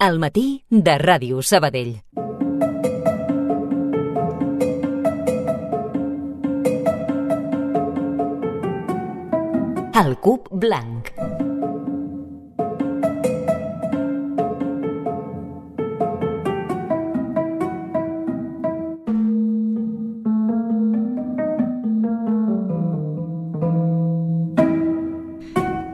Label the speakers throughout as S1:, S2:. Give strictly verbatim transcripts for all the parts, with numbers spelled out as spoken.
S1: Al matí de Ràdio Sabadell. El cub blanc.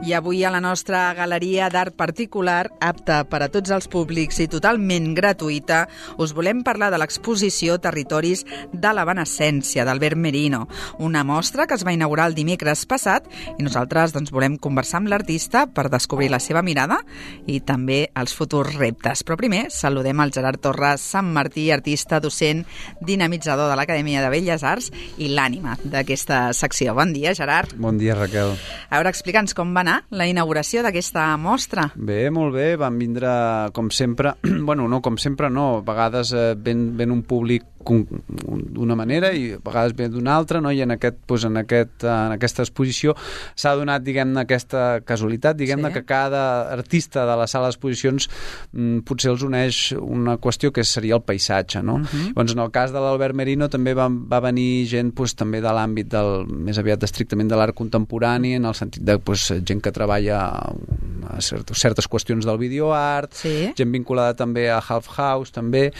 S2: I avui a la nostra galeria d'art particular, apta per a tots els públics i totalment gratuïta, us volem parlar de l'exposició Territoris de l'Evanescència d'Albert Merino, una mostra que es va inaugurar el dimecres passat i nosaltres doncs, volem conversar amb l'artista per descobrir la seva mirada i també els futurs reptes. Però primer saludem al Gerard Torres Sant Martí, artista, docent, dinamitzador de l'Acadèmia de Belles Arts i l'ànima d'aquesta secció. Bon dia, Gerard.
S3: Bon dia, Raquel.
S2: A veure, explica'ns com va anar la inauguració d'aquesta mostra.
S3: Bé, molt bé, van vindre com sempre, bueno, no com sempre no, a vegades eh, ven, ven un públic d'una manera i a vegades ve d'una altra, no? I en, aquest, doncs, en, aquest, en aquesta exposició s'ha donat, diguem-ne, aquesta casualitat, diguem-ne, sí. Que cada artista de la sala d'exposicions mm, potser els uneix una qüestió que seria el paisatge, no? Uh-huh. Doncs en el cas de l'Albert Merino també va, va venir gent doncs, també de l'àmbit del, més aviat estrictament de l'art contemporani, en el sentit de doncs, gent que treballa a certes, certes qüestions del videoart, sí. Gent vinculada també a Half House també,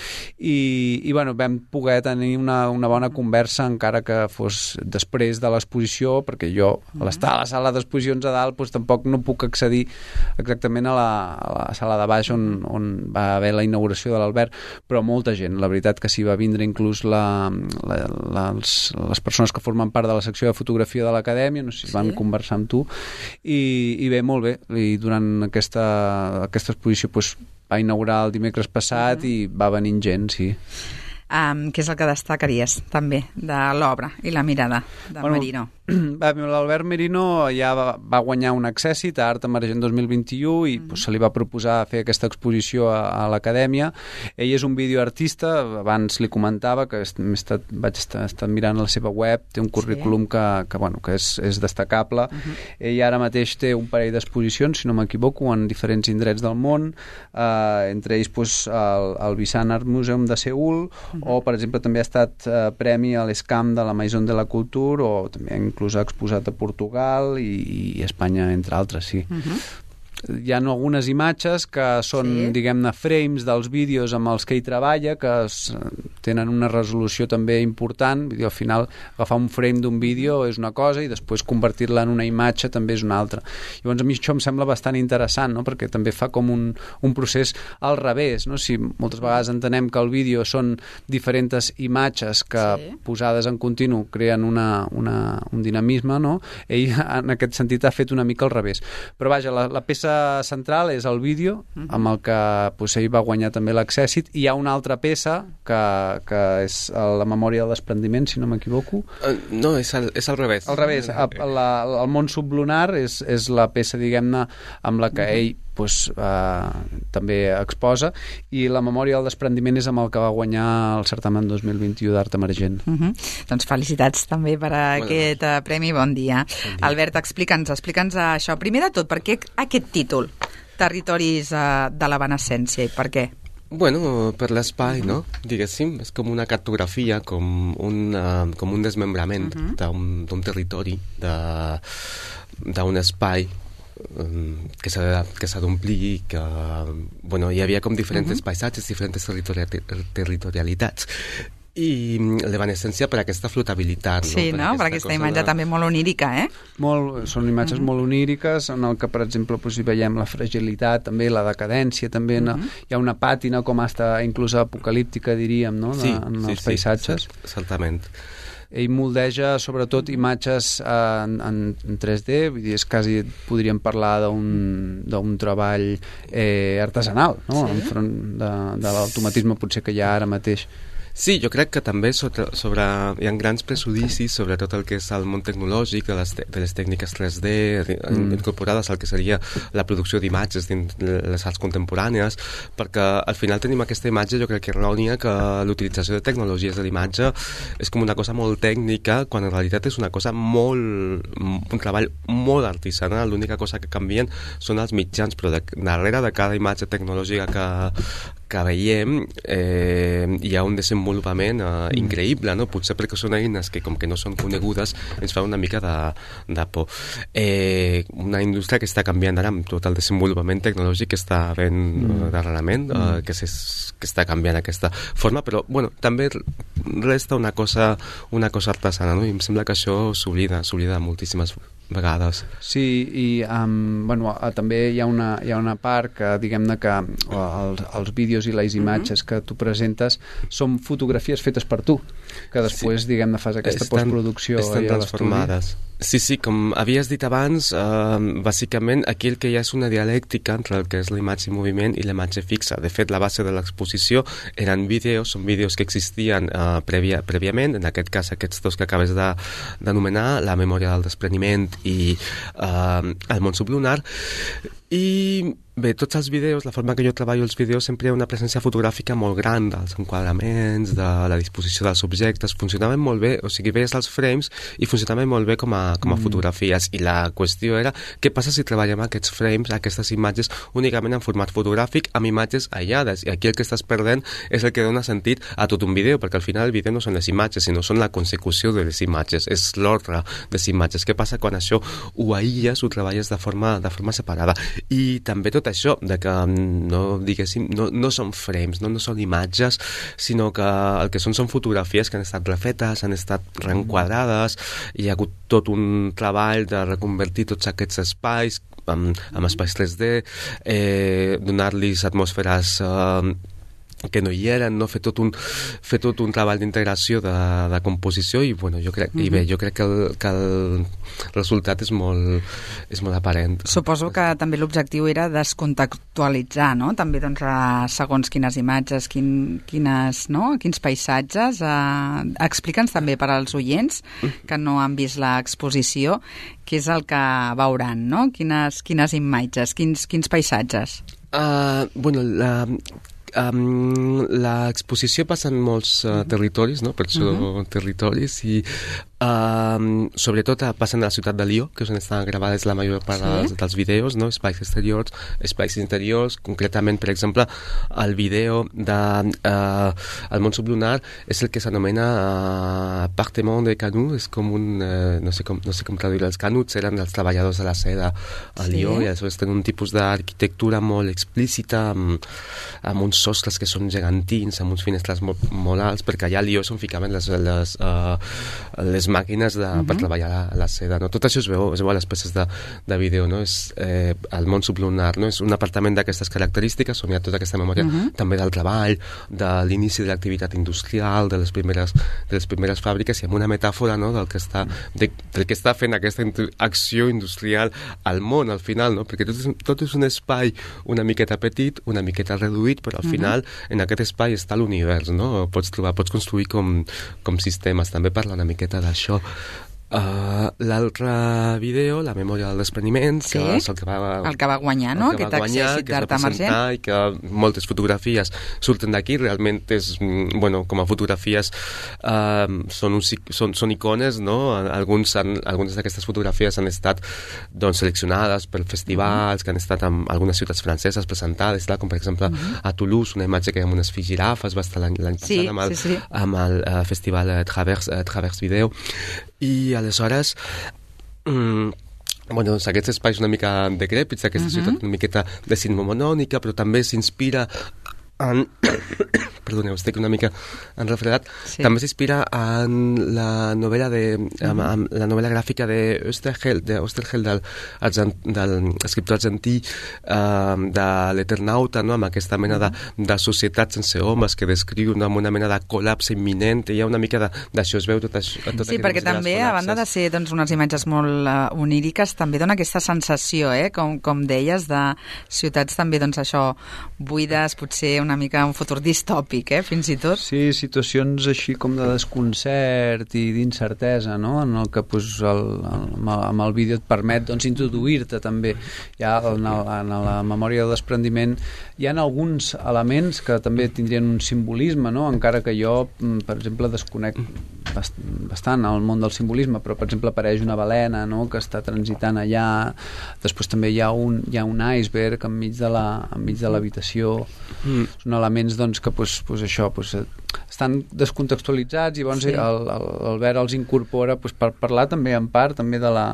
S3: i, i bueno, vam poder tenir una, una bona conversa encara que fos després de l'exposició, perquè jo a l'estar a la sala d'exposicions a dalt doncs, tampoc no puc accedir exactament a la, a la sala de baix on, on va haver la inauguració de l'Albert, però molta gent, la veritat que s'hi va vindre inclús la, la, les, les persones que formen part de la secció de fotografia de l'Acadèmia, no sé si sí. Van conversar amb tu, i, i bé, molt bé, i durant aquesta, aquesta exposició doncs, va inaugurar el dimecres passat uh-huh. I va venint gent, sí.
S2: Um, què és el que destacaries també de l'obra i la mirada de bueno, Merino?
S3: L'Albert Merino ja va, va guanyar un Accèssit a Art Emergent dos mil vint-i-u i mm. pues, se li va proposar fer aquesta exposició a, a l'Acadèmia. Ell és un videoartista, abans li comentava que he estat, vaig estar, estar mirant la seva web, té un currículum sí. que, que, bueno, que és, és destacable. Uh-huh. Ell ara mateix té un parell d'exposicions, si no m'equivoco, en diferents indrets del món, eh, entre ells pues, el, el Visan Art Museum de Seül, uh-huh. o per exemple també ha estat eh, premi a l'Escam de la Maison de la Culture, o també inclús ha exposat a Portugal i, i Espanya, entre altres, sí. Uh-huh. Hi ha algunes imatges que són, sí. Diguem-ne, frames dels vídeos amb els que ell treballa, que es, tenen una resolució també important. Al final, agafar un frame d'un vídeo és una cosa i després convertir-la en una imatge també és una altra. Llavors, a mi això em sembla bastant interessant, no? Perquè també fa com un, un procés al revés, no? Si moltes vegades entenem que el vídeo són diferents imatges que sí. Posades en continu creen una, una, un dinamisme, no? Ell, en aquest sentit, ha fet una mica al revés. Però, vaja, la, la peça central és el vídeo amb el que pues, ell va guanyar també l'Accèssit, i hi ha una altra peça que, que és la Memòria del desprendiment, si no m'equivoco.
S4: Uh, no, és al, és al revés.
S3: Al revés, okay. la, el món sublunar és, és la peça, diguem-ne, amb la que ell pues, eh, també exposa, i la Memòria del desprendiment és amb el que va guanyar el certamen dos mil vint-i-u d'Art Emergent. Uh-huh.
S2: Doncs felicitats també per a bueno. aquest uh, premi. Bon dia. Bon dia. Albert, explica'ns, explica'ns això. Primer de tot, per què aquest títol? Territoris uh, de l'Evanescència, i per què?
S4: Bueno, per l'espai, no? Diguéssim, és com una cartografia, com un, uh, com un desmembrament uh-huh. d'un territori, d'un espai um, que s'ha d'omplir, que bueno, hi havia com diferents uh-huh. paisatges, diferents territori territorialitats. I l'evanescència per aquesta flotabilitat.
S2: Sí, no? Per, per aquesta imatge de... també molt onírica, eh?
S3: Molt, són imatges uh-huh. molt oníriques, en el que, per exemple, doncs, hi veiem la fragilitat, també la decadència, també uh-huh. no? Hi ha una pàtina com hasta inclús apocalíptica, diríem, no? De,
S4: sí,
S3: en
S4: sí,
S3: els paisatges.
S4: Sí, certament.
S3: Ell moldeja sobretot imatges en, en, en tres D, vull dir, és quasi, podríem parlar d'un, d'un treball eh, artesanal, no? Sí. Enfront de, de l'automatisme potser que hi ha ara mateix.
S4: Sí, jo crec que també sobre, sobre, hi ha grans prejudicis sobre tot el que és el món tecnològic, de les, de les tècniques tres D mm. incorporades al que seria la producció d'imatges dins les arts contemporànies, perquè al final tenim aquesta imatge, jo crec que errònia, que l'utilització de tecnologies de l'imatge és com una cosa molt tècnica, quan en realitat és una cosa molt, un treball molt artesanal. L'única cosa que canvien són els mitjans, però de, darrere de cada imatge tecnològica que, que veiem eh, hi ha un desenvolupament eh, mm. increïble, no? Potser perquè són eines que com que no són conegudes ens fa una mica de, de por. Eh, una indústria que està canviant ara amb tot el desenvolupament tecnològic que està ben mm. darrerament, eh, mm. que, és, que està canviant aquesta forma, però bueno, també resta una cosa, una cosa artesana, no? I em sembla que això s'oblida, s'oblida moltíssimes vegades.
S3: Sí, i um, bueno, uh, també hi ha, una, hi ha una part que, diguem-ne, que uh, els, els vídeos i les imatges mm-hmm. que tu presentes són fotografies fetes per tu, que després, sí. diguem-ne, fas aquesta estan, postproducció.
S4: Estan transformades. Sí, sí, com havies dit abans, eh, bàsicament aquí el que hi ha és una dialèctica entre el que és la imatge en moviment i la imatge fixa. De fet, la base de l'exposició eren vídeos, són vídeos que existien eh, prèvia, prèviament, en aquest cas aquests dos que acabes d'anomenar, la memòria del despreniment i eh, el món sublunar. I bé, tots els vídeos, la forma que jo treballo els vídeos, sempre hi ha una presència fotogràfica molt gran dels enquadraments, de la disposició dels objectes, funcionaven molt bé, o sigui, veies els frames i funcionaven molt bé com a, com a mm. fotografies, i la qüestió era què passa si treballem aquests frames, aquestes imatges únicament en format fotogràfic amb imatges aïllades, i aquí el que estàs perdent és el que dona sentit a tot un vídeo, perquè al final el vídeo no són les imatges, sinó són la consecució de les imatges, és l'ordre de les imatges. Què passa quan això ho aïlles, ho treballes de forma, de forma separada? I també tot això, de que no, diguéssim, no, no són frames, no, no són imatges, sinó que el que són són fotografies que han estat refetes, han estat reenquadrades, hi ha hagut tot un treball de reconvertir tots aquests espais amb, amb espais tres D, eh, donar-los atmosferes eh, que no hi eren, no? Fer tot un, fer tot un treball d'integració de, de composició i, bueno, jo crec, mm-hmm. i bé, jo crec que el, que el resultat és molt, és molt aparent.
S2: Suposo que també l'objectiu era descontextualitzar, no? També, doncs, segons quines imatges, quin, quines, no? Quins paisatges. Eh, Explica'ns també per als oients que no han vist l'exposició què és el que veuran, no? Quines, quines imatges, quins, quins paisatges?
S4: Uh, bueno, la... Um, l'exposició passa en molts uh, territoris, no? Per això uh-huh. territoris, i um, sobretot passa a la ciutat de Lió, que és on estan gravades la major part sí? dels, dels vídeos, no? Espais exteriors, espais interiors, concretament, per exemple, el vídeo de uh, El món sublunar és el que s'anomena uh, Appartement de Canut, és com un, uh, no sé com, no sé com traduir, els canuts eren els treballadors de la seda a Lió, sí? I aleshores tenen un tipus d'arquitectura molt explícita, amb, amb uns sostres que són gegantins, amb uns finestres molt, molt alts, perquè allà a Lió són ficaven les, les, uh, les màquines de, uh-huh. per treballar la, la seda, no? Tot això es veu, es veu a les peces de, de vídeo, no? És eh, el món sublunar, no? És un apartament d'aquestes característiques on hi ha tota aquesta memòria uh-huh. també del treball, de l'inici de l'activitat industrial, de les primeres, de les primeres fàbriques, i amb una metàfora, no? del, que està, de, del que està fent aquesta acció industrial al món, al final, no? Perquè tot és, tot és un espai una miqueta petit, una miqueta reduït, però al uh-huh. final en aquest espai està l'univers, no? Pots trobar, pots construir com, com sistemes. També parla una miqueta d'això. Uh, l'altre vídeo, La memòria del despreniment,
S2: sí?
S4: que és el que va,
S2: el que va guanyar, no? Aquest accèssit d'art emergent.
S4: I que moltes fotografies surten d'aquí, realment és, bueno, com a fotografies uh, són, un, són, són icones, no? Alguns han, algunes d'aquestes fotografies han estat, doncs, seleccionades per festivals, mm-hmm. que han estat en algunes ciutats franceses presentades, clar, com per exemple mm-hmm. a Toulouse, una imatge que hi ha amb unes girafes, va estar l'any passat
S2: sí,
S4: amb el,
S2: sí, sí.
S4: amb el uh, festival uh, Travers, uh, Travers Video. I aleshores mm, bueno, doncs aquests espais una mica decrèpits, aquesta uh-huh. ciutat una miqueta decimonònica, però també s'inspira en... perdoneu, estic una mica enrefredat. Sí. També s'inspira en la novel·la de, uh-huh. en, en la novel·la gràfica de Oesterheld, de Oesterheld del, del escriptor argentí uh, de l'Eternauta, no? Amb aquesta mena de, de societat sense homes que descriu amb una mena de col·lapse imminent. Hi ha una mica d'això, es veu tot això. Tot
S2: sí, perquè també, a banda de ser doncs, unes imatges molt uh, oníriques, també dona aquesta sensació, eh? com, com deies, de ciutats també, doncs això, buides, potser una mica un futur distòpic, típic, eh, fins i tot.
S3: Sí, situacions així com de desconcert i d'incertesa, no?, en el que pues, el, el, amb el vídeo et permet doncs, introduir-te també. Ja en, el, en la memòria del desprendiment hi ha alguns elements que també tindrien un simbolisme, no?, encara que jo, per exemple, desconec bastant el món del simbolisme, però per exemple apareix una balena, no?, que està transitant allà. Després també hi ha un, hi ha un iceberg enmig de la, enmig de l'habitació. Mm. Són elements doncs, que pues, pues, això, pues, estan descontextualitzats i llavors sí. l'Albert els incorpora pues, per parlar també en part també de la,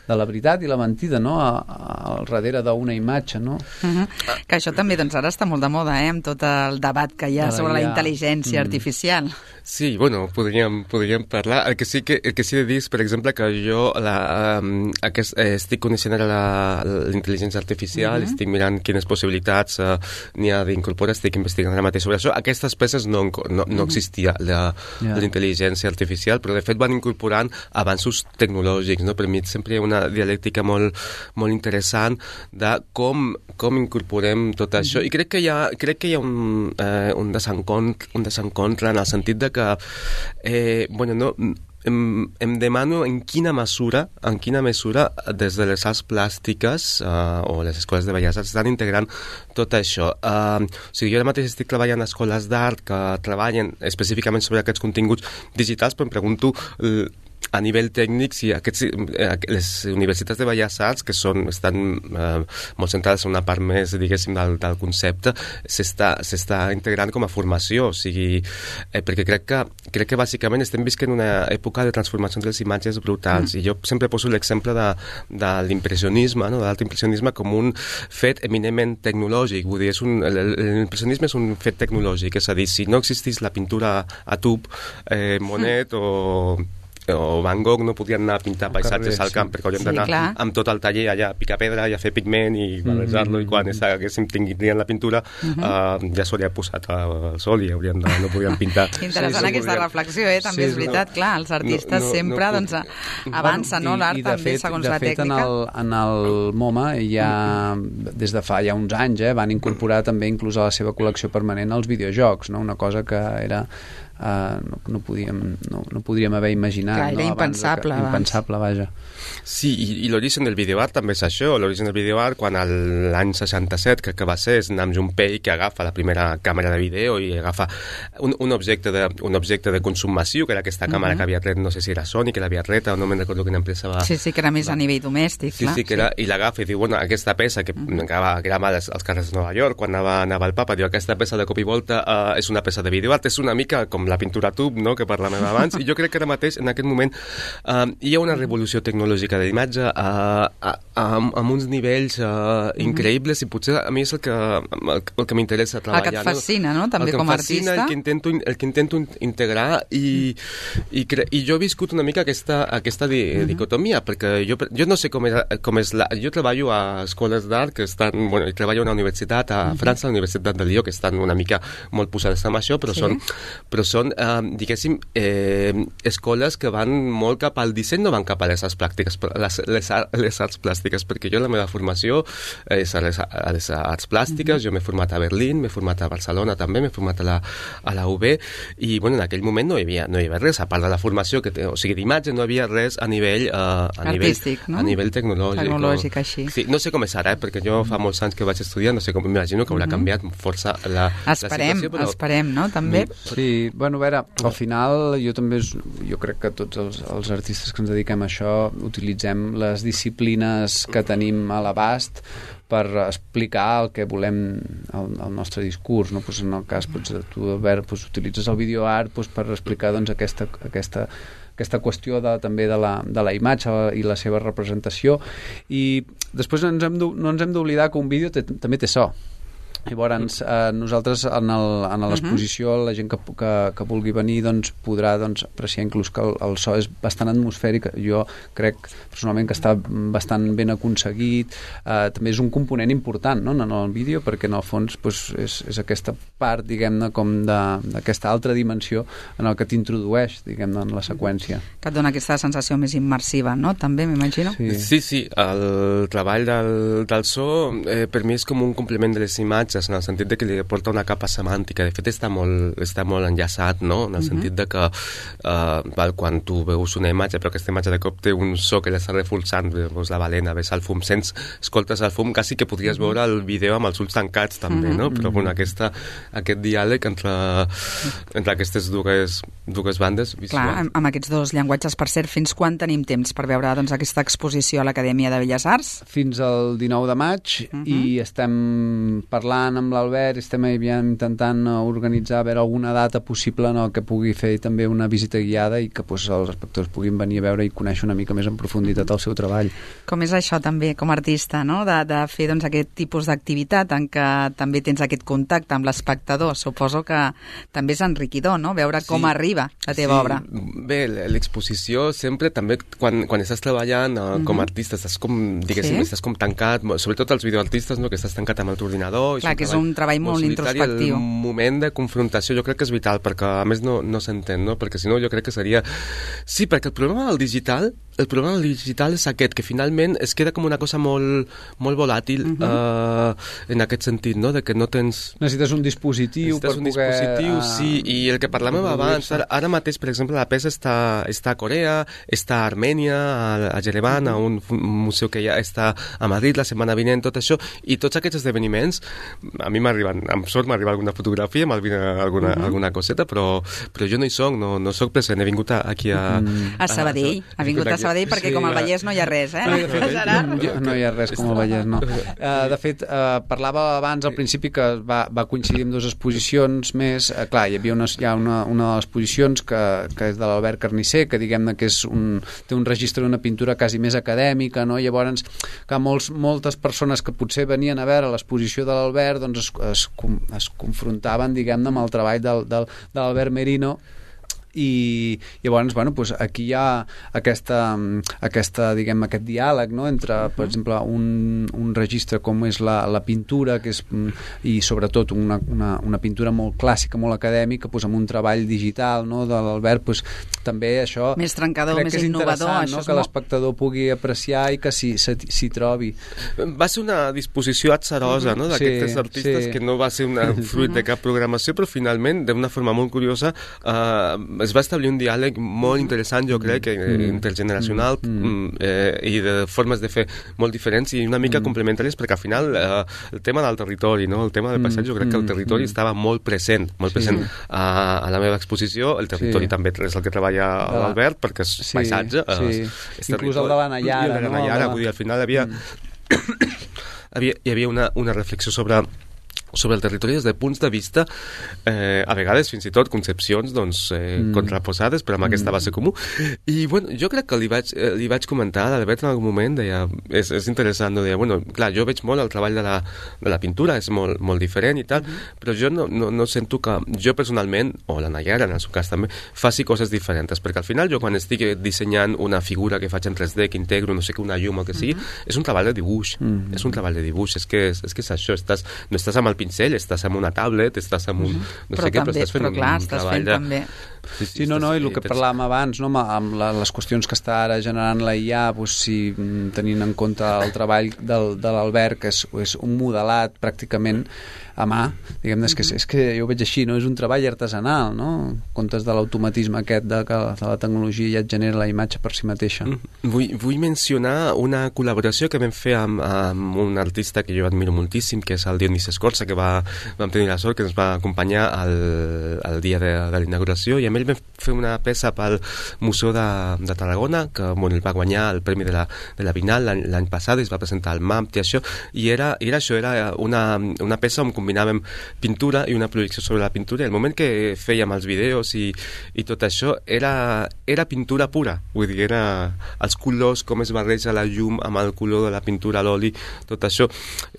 S3: de la veritat i la mentida, no?, a, a, al darrere d'una imatge, no?
S2: Uh-huh. Que això també doncs, ara està molt de moda, eh?, amb tot el debat que hi ha sobre la intel·ligència mm. artificial.
S4: Sí, bueno, podríem, podríem parlar. El que sí que, el que sí he de dir és, per exemple, que jo la, um, aquest, eh, estic coneixent ara la, la intel·ligència artificial, uh-huh. estic mirant quines possibilitats uh, n'hi ha d'incorporar, estic investigant ara mateix sobre això. Aquestes peces no, no, no existia la, yeah. la intel·ligència artificial, però de fet van incorporant avanços tecnològics, no? Per mi sempre hi ha una dialèctica molt, molt interessant de com, com incorporem tot uh-huh. això. I crec que hi ha, crec que hi ha un, eh, un, desencontre, un desencontre en el sentit de que eh, bueno, no, em, em demano en quina mesura en quina mesura des de les arts plàstiques uh, o les escoles de belles arts estan integrant tot això. Uh, o sigui, jo ara mateix estic treballant a escoles d'art que treballen específicament sobre aquests continguts digitals, però em pregunto uh, a nivell tècnic, si aquests, eh, les universitats de Belles Arts, que són, estan eh, molt centrades en una part més, diguéssim, del, del concepte, s'està integrant com a formació, o sigui, eh, perquè crec que, crec que bàsicament estem visquent una època de transformació de les imatges brutals, mm. i jo sempre poso l'exemple de, de l'impressionisme, no? de l'alt impressionisme com un fet eminentment tecnològic, vull dir, és un, l'impressionisme és un fet tecnològic, és a dir, si no existís la pintura a tub, eh, Monet mm. o... o Van Gogh no podien anar a pintar paisatges carrer, al camp, sí. perquè hauríem sí, d'anar clar. amb tot el taller allà a picar pedra i a fer pigment i barrejar-lo, mm -hmm. i quan haguéssim tinguin la pintura mm -hmm. uh, ja s'hauria posat al sol i hauríem de, no podíem pintar.
S2: Interessant sí, sí, aquesta podríem... reflexió, eh? també sí, és veritat, no, clar, els artistes no, no, sempre no, doncs, avancen, bueno, no? L'art també, fet, segons la
S3: fet,
S2: tècnica.
S3: En el, en el MoMA ja, des de fa ja uns anys, eh, van incorporar també inclús a la seva col·lecció permanent els videojocs, no? Una cosa que era Uh, no, no, podíem, no, no podríem haver imaginat.
S2: Clar, era
S3: no?
S2: impensable.
S3: Que, impensable, vaja.
S4: Sí, i, i l'origen del videoart també és això. L'origen del videoart, quan l'any seixanta-set, que, que va ser, és Nam June Paik, que agafa la primera càmera de vídeo i agafa un, un, objecte, de, un objecte de consum massiu, que era aquesta càmera uh-huh. que havia tret, no sé si era Sony, que l'havia tret, o no me'n recordo quina empresa va...
S2: Sí, sí, que era més
S4: va...
S2: a nivell domèstic,
S4: sí,
S2: clar.
S4: Sí, que era, sí. I l'agafa i diu, bueno, aquesta peça, que uh-huh. acaba, que era mal als, als carrers de Nova York, quan anava, anava el papa, diu, aquesta peça de cop i volta uh, és una peça de videoart, és una mica com la pintura tub, no?, que parlàvem abans, i jo crec que ara mateix, en aquest moment, uh, hi ha una revolució tecnològica de l'imatge uh, uh, amb, amb uns nivells uh, increïbles, i potser a mi és el que, el, el que m'interessa treballar.
S2: El que et fascina, no?, també com a artista.
S4: El que intento, el que intento integrar, i, i, cre i jo he viscut una mica aquesta, aquesta di uh -huh. dicotomia, perquè jo, jo no sé com és, com és la... Jo treballo a escoles d'art que estan... Bueno, treballo a una universitat a uh -huh. França, a la Universitat de Lió, que estan una mica molt posades amb això, però sí. són... Però són Uh, diguéssim, eh, escoles que van molt cap al disseny, no van cap a les arts plàstiques, les, les, les arts plàstiques, perquè jo la meva formació és a les, a les arts plàstiques, mm-hmm. jo m'he format a Berlín, m'he format a Barcelona també, m'he format a la, a la U B, i bueno, en aquell moment no hi havia, no hi havia res, a part de la formació, que té, o sigui, d'imatge, no hi havia res a nivell, uh, a
S2: artístic,
S4: nivell,
S2: no?
S4: a nivell tecnològic.
S2: Tecnològic, o... així.
S4: Sí, no sé com és ara, eh, perquè jo fa molts anys que vaig estudiar, no sé com, m'imagino que haurà mm-hmm. canviat força la,
S2: esperem,
S4: la situació, però...
S2: Esperem, no?, també.
S3: Sí, bueno, a veure, al final jo també jo crec que tots els, els artistes que ens dediquem a això utilitzem les disciplines que tenim a l'abast per explicar el que volem el, el nostre discurs, no? Pues en el cas pues, tu, Albert, pues, utilitzes el videoart pues, per explicar doncs, aquesta, aquesta, aquesta qüestió de, també de la, de la imatge i la seva representació, i després ens hem no ens hem d'oblidar que un vídeo té, també té so. Llavors, eh, nosaltres en l'exposició, uh-huh. la gent que, que, que vulgui venir doncs, podrà doncs, apreciar inclús que el, el so és bastant atmosfèric. Jo crec personalment que està bastant ben aconseguit. Eh, també és un component important, no?, en el vídeo, perquè en el fons doncs, és, és aquesta part, diguem-ne, com d'aquesta altra dimensió en el que t'introdueix, diguem-ne, en la seqüència.
S2: Que et dona aquesta sensació més immersiva, no?, també, m'imagino?
S4: Sí. sí, sí, el treball del, del so eh, per mi és com un complement de les imatges. textos, en el sentit de que li porta una capa semàntica. De fet, està molt, està molt enllaçat, no? En el uh-huh. sentit de que uh, val, quan tu veus una imatge, però aquesta imatge de cop té un so que l'està reforçant, veus la balena, ves el fum, sents, escoltes el fum, quasi que podries veure el vídeo amb els ulls tancats, també, no? Però, bueno, aquesta, aquest diàleg entre, entre aquestes dues, dues bandes visuals.
S2: Clar, amb, amb aquests dos llenguatges, per cert, fins quan tenim temps per veure doncs, aquesta exposició a l'Acadèmia de Belles Arts?
S3: Fins al dinou de maig uh-huh. i estem parlant amb l'Albert, estem intentant organitzar a veure alguna data possible no, que pugui fer també una visita guiada i que pues, els espectadors puguin venir a veure i conèixer una mica més en profunditat el seu treball.
S2: Com és això també, com a artista, no? de, de fer doncs, aquest tipus d'activitat en què també tens aquest contacte amb l'espectador? Suposo que també és enriquidor, no? Veure sí. com arriba la teva
S4: sí.
S2: obra.
S4: Bé, l'exposició sempre també, quan, quan estàs treballant uh, com a artista, estàs com, diguéssim, sí? estàs com tancat, sobretot els videoartistes, no? que estàs tancat amb el teu ordinador.
S2: Clar, que és un treball molt, molt introspectiu.
S4: El moment de confrontació jo crec que és vital, perquè a més no, no s'entén, no? Perquè si no jo crec que seria... Sí, perquè el problema del digital, el problema del digital és aquest, que finalment es queda com una cosa molt, molt volàtil uh-huh. uh, en aquest sentit, no? De que no tens...
S3: Necessites un dispositiu
S4: Necessites
S3: per
S4: un
S3: poder...
S4: dispositiu, uh, sí, i el que parlàvem abans, ara, ara mateix, per exemple, la peça està, està a Corea, està a Armènia, a, a Jerevan, uh-huh. a un, un museu que ja està a Madrid la setmana vinent, tot això, i tots aquests esdeveniments, a mi m'arriben, amb sort m'arriba alguna fotografia, m'arriba alguna, uh-huh. alguna coseta, però, però jo no hi soc, no, no soc present, he vingut aquí a...
S2: Mm. A Sabadell, ha vingut a Sabadell perquè sí, com al Vallès no hi ha res, eh?
S3: No, de fet, no, no hi ha res com al Vallès, no. Uh, de fet, uh, parlava abans al principi que va, va coincidir amb dues exposicions més, uh, clar, hi havia una, hi ha una, una de les exposicions que, que és de l'Albert Carnisser, que diguem-ne que és un, té un registre d'una pintura quasi més acadèmica, no? Llavors, que molts, moltes persones que potser venien a veure l'exposició de l'Albert doncs es, es, es confrontaven, diguem-ne, amb el treball del, del, de l'Albert Merino, i llavors, bueno, pues aquí hi ha aquesta, aquesta diguem, aquest diàleg, no?, entre, per exemple, un, un registre com és la, la pintura, que és, i sobretot una, una, una pintura molt clàssica, molt acadèmica, pues, amb un treball digital, no?, de l'Albert, pues, també això...
S2: Més trencador, més innovador.
S3: Això no? Que l'espectador pugui apreciar i que s'hi, s'hi trobi.
S4: Va ser una disposició atzarosa, no?, d'aquests sí, artistes, sí. que no va ser una fruit de cap programació, però finalment, d'una forma molt curiosa, eh, es va establir un diàleg molt interessant, jo crec, mm. intergeneracional mm. eh, i de formes de fer molt diferents i una mica mm. complementàries, perquè al final eh, el tema del territori, no? El tema del paisatge, jo crec que el territori mm. estava molt present, molt sí. present a, a la meva exposició. El territori sí. també és el que treballa l'Albert, perquè és sí, paisatge.
S3: Sí.
S4: Eh,
S3: és inclús el de la Nayara.
S4: El de la Nayara, no? Vull dir, al final havia, mm. havia, hi havia una, una reflexió sobre sobre el territori des de punts de vista eh, a vegades fins i tot concepcions doncs, eh, mm. contraposades, però amb mm. aquesta base comú. I bueno, jo crec que li vaig, eh, li vaig comentar a l'Albert en algun moment, deia, és, és interessant, no? Deia, bueno, clar, jo veig molt el treball de la, de la pintura, és molt, molt diferent i tal, mm. però jo no, no, no sento que jo personalment, o la Nayara en el seu cas també, faci coses diferents, perquè al final jo quan estic dissenyant una figura que faig en tres D, que integro, no sé què, una llum o que sigui, mm. és un treball de dibuix, mm. és un treball de dibuix, és que és, és, que és això, estàs, no estàs amb el pincell, estàs amb una tablet, estàs amb un... No
S2: però
S4: sé què,
S2: també,
S4: però estàs fent
S2: però clar,
S4: un
S2: estàs
S4: treball
S2: fent
S4: de...
S2: també.
S3: Sí, sí, sí, no, no, i el que parlàvem abans, no, amb la, les qüestions que està ara generant la I A, doncs, si tenint en compte el treball del, de l'Albert, que és, és un modelat pràcticament a mà, diguem-ne, és, que, és que jo ho veig així, no? És un treball artesanal, no? En comptes de l'automatisme aquest de que de la tecnologia ja et genera la imatge per si mateixa.
S4: Vull, vull mencionar una col·laboració que vam fer amb, amb un artista que jo admiro moltíssim, que és el Dionís Escorça, que va, vam tenir la sort que ens va acompanyar al, al dia de, de l'inauguració, i amb ell vam fer una peça pel Museu de, de Tarragona, que bueno, el va guanyar el Premi de la, de la Bienal l'any passat, i es va presentar al M A M P i això, i era, era això, era una, una peça on combinàvem pintura i una projecció sobre la pintura, i el moment que fèiem els vídeos i, i tot això era, era pintura pura, vull dir, era els colors, com es barreja la llum amb el color de la pintura, l'oli, tot això.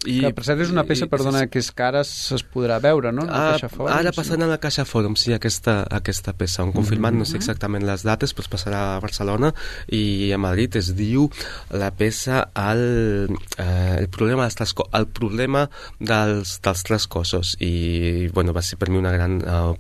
S4: I,
S3: que per cert és una peça, i, perdona, que és que ara es podrà veure, no?
S4: A, ara passant a la Caixa Fòrum, sí, aquesta, aquesta peça, on confirmat, mm-hmm. no sé exactament les dates, però es passarà a Barcelona i a Madrid. Es diu la peça el, eh, el problema dels tres, el problema dels, dels tres cossos, i bueno, va ser per mi una gran uh,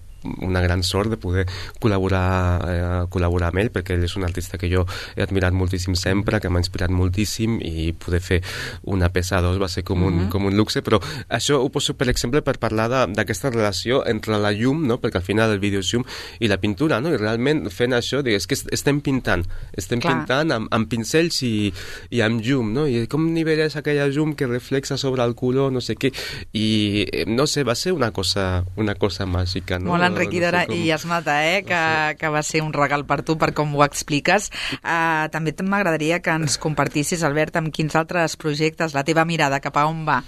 S4: una gran sort de poder col·laborar, eh, col·laborar amb ell, perquè ell és un artista que jo he admirat moltíssim sempre, que m'ha inspirat moltíssim, i poder fer una peça a dos va ser com un, mm-hmm. com un luxe, però això ho poso, per exemple, per parlar d'aquesta relació entre la llum, no? Perquè al final el vídeo és llum, i la pintura, no? I realment fent això, és que estem pintant, estem Clar. pintant amb, amb pincells i, i amb llum, no? I com nivelles aquella llum que reflexa sobre el color, no sé què, i no sé, va ser una cosa, una cosa màgica, no?
S2: Molt enriquidora, no sé com... i es nota, eh, que, no sé. que va ser un regal per tu, per com ho expliques. Uh, també m'agradaria que ens compartissis, Albert, amb quins altres projectes, la teva mirada, cap a on va?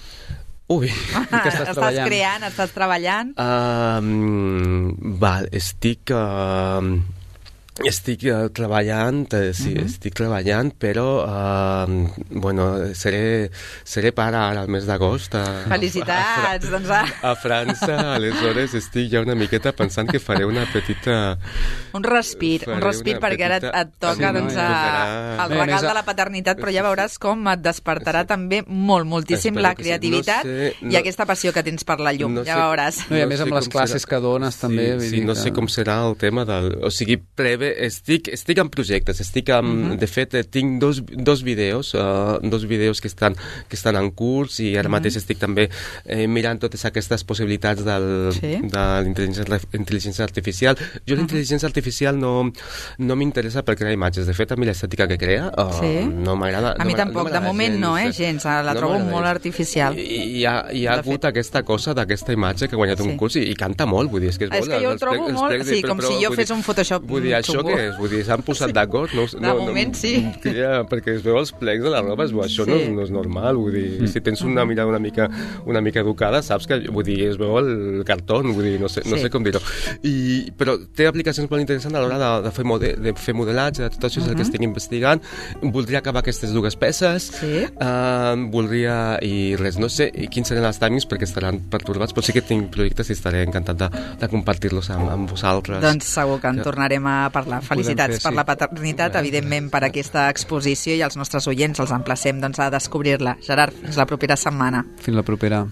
S4: Ui,
S3: que estàs,
S2: estàs creant, estàs treballant?
S4: Uh, val, estic... Uh, Estic uh, treballant, eh, sí, uh-huh. estic treballant, però uh, bueno, seré, seré pare ara al mes d'agost.
S2: Felicitats! A, doncs, a...
S4: a França, aleshores estic ja una miqueta pensant que faré una petita...
S2: Un respir, un respir perquè petita... ara et toca sí, doncs, no, a, el regal de la paternitat, però ja veuràs com et despertarà sí. també molt, moltíssim Espero la creativitat sí. no sé, no... i aquesta passió que tens per la llum, no ja sé, veuràs.
S3: No, I a més amb les classes serà... que dones també.
S4: Sí, sí no que... sé com serà el tema del... O sigui, previ Estic, estic en projectes, estic en, uh-huh. de fet tinc dos, dos vídeos, uh, dos vídeos que estan, que estan en curs i ara uh-huh. mateix estic també eh, mirant totes aquestes possibilitats del, sí. de l'intel·ligència artificial. Jo uh-huh. l'intel·ligència artificial no, no m'interessa per crear imatges, de fet a mi l'estètica que crea uh, sí. no m'agrada.
S2: A mi
S4: no
S2: tampoc,
S4: no
S2: de moment gens, no, eh, gens, la no trobo molt artificial.
S4: I, hi ha, hi ha hagut fet. aquesta cosa d'aquesta imatge que ha guanyat sí. un curs i, i canta molt, vull dir, és que és,
S2: és que jo ho trobo molt, sí, com si jo fes un Photoshop
S4: vull dir, això que és? Vull dir, s'han posat sí. d'acord. No,
S2: de
S4: no,
S2: moment,
S4: no,
S2: sí.
S4: Ja, perquè es veu els plecs de la roba, es veu, això sí. no, és, no és normal, vull dir, mm. si tens una mirada una mica, una mica educada, saps que, vull dir, es veu el cartó, vull dir, no sé, sí. no sé com dir-ho. I, però té aplicacions molt interessants a l'hora de, de, fer mode, de fer modelatge, tot això és uh-huh. el que estic investigant. Voldria acabar aquestes dues peces,
S2: sí.
S4: uh, voldria, i res, no sé quins seran els timings perquè estaran pertorbats, però sí que tinc projectes i estaré encantat de, de compartir-los amb, amb vosaltres.
S2: Doncs segur que en tornarem a parlar. Felicitats per la paternitat, evidentment per aquesta exposició, i els nostres oients els emplacem doncs, a descobrir-la. Gerard, fins la propera setmana.
S3: Fins la propera.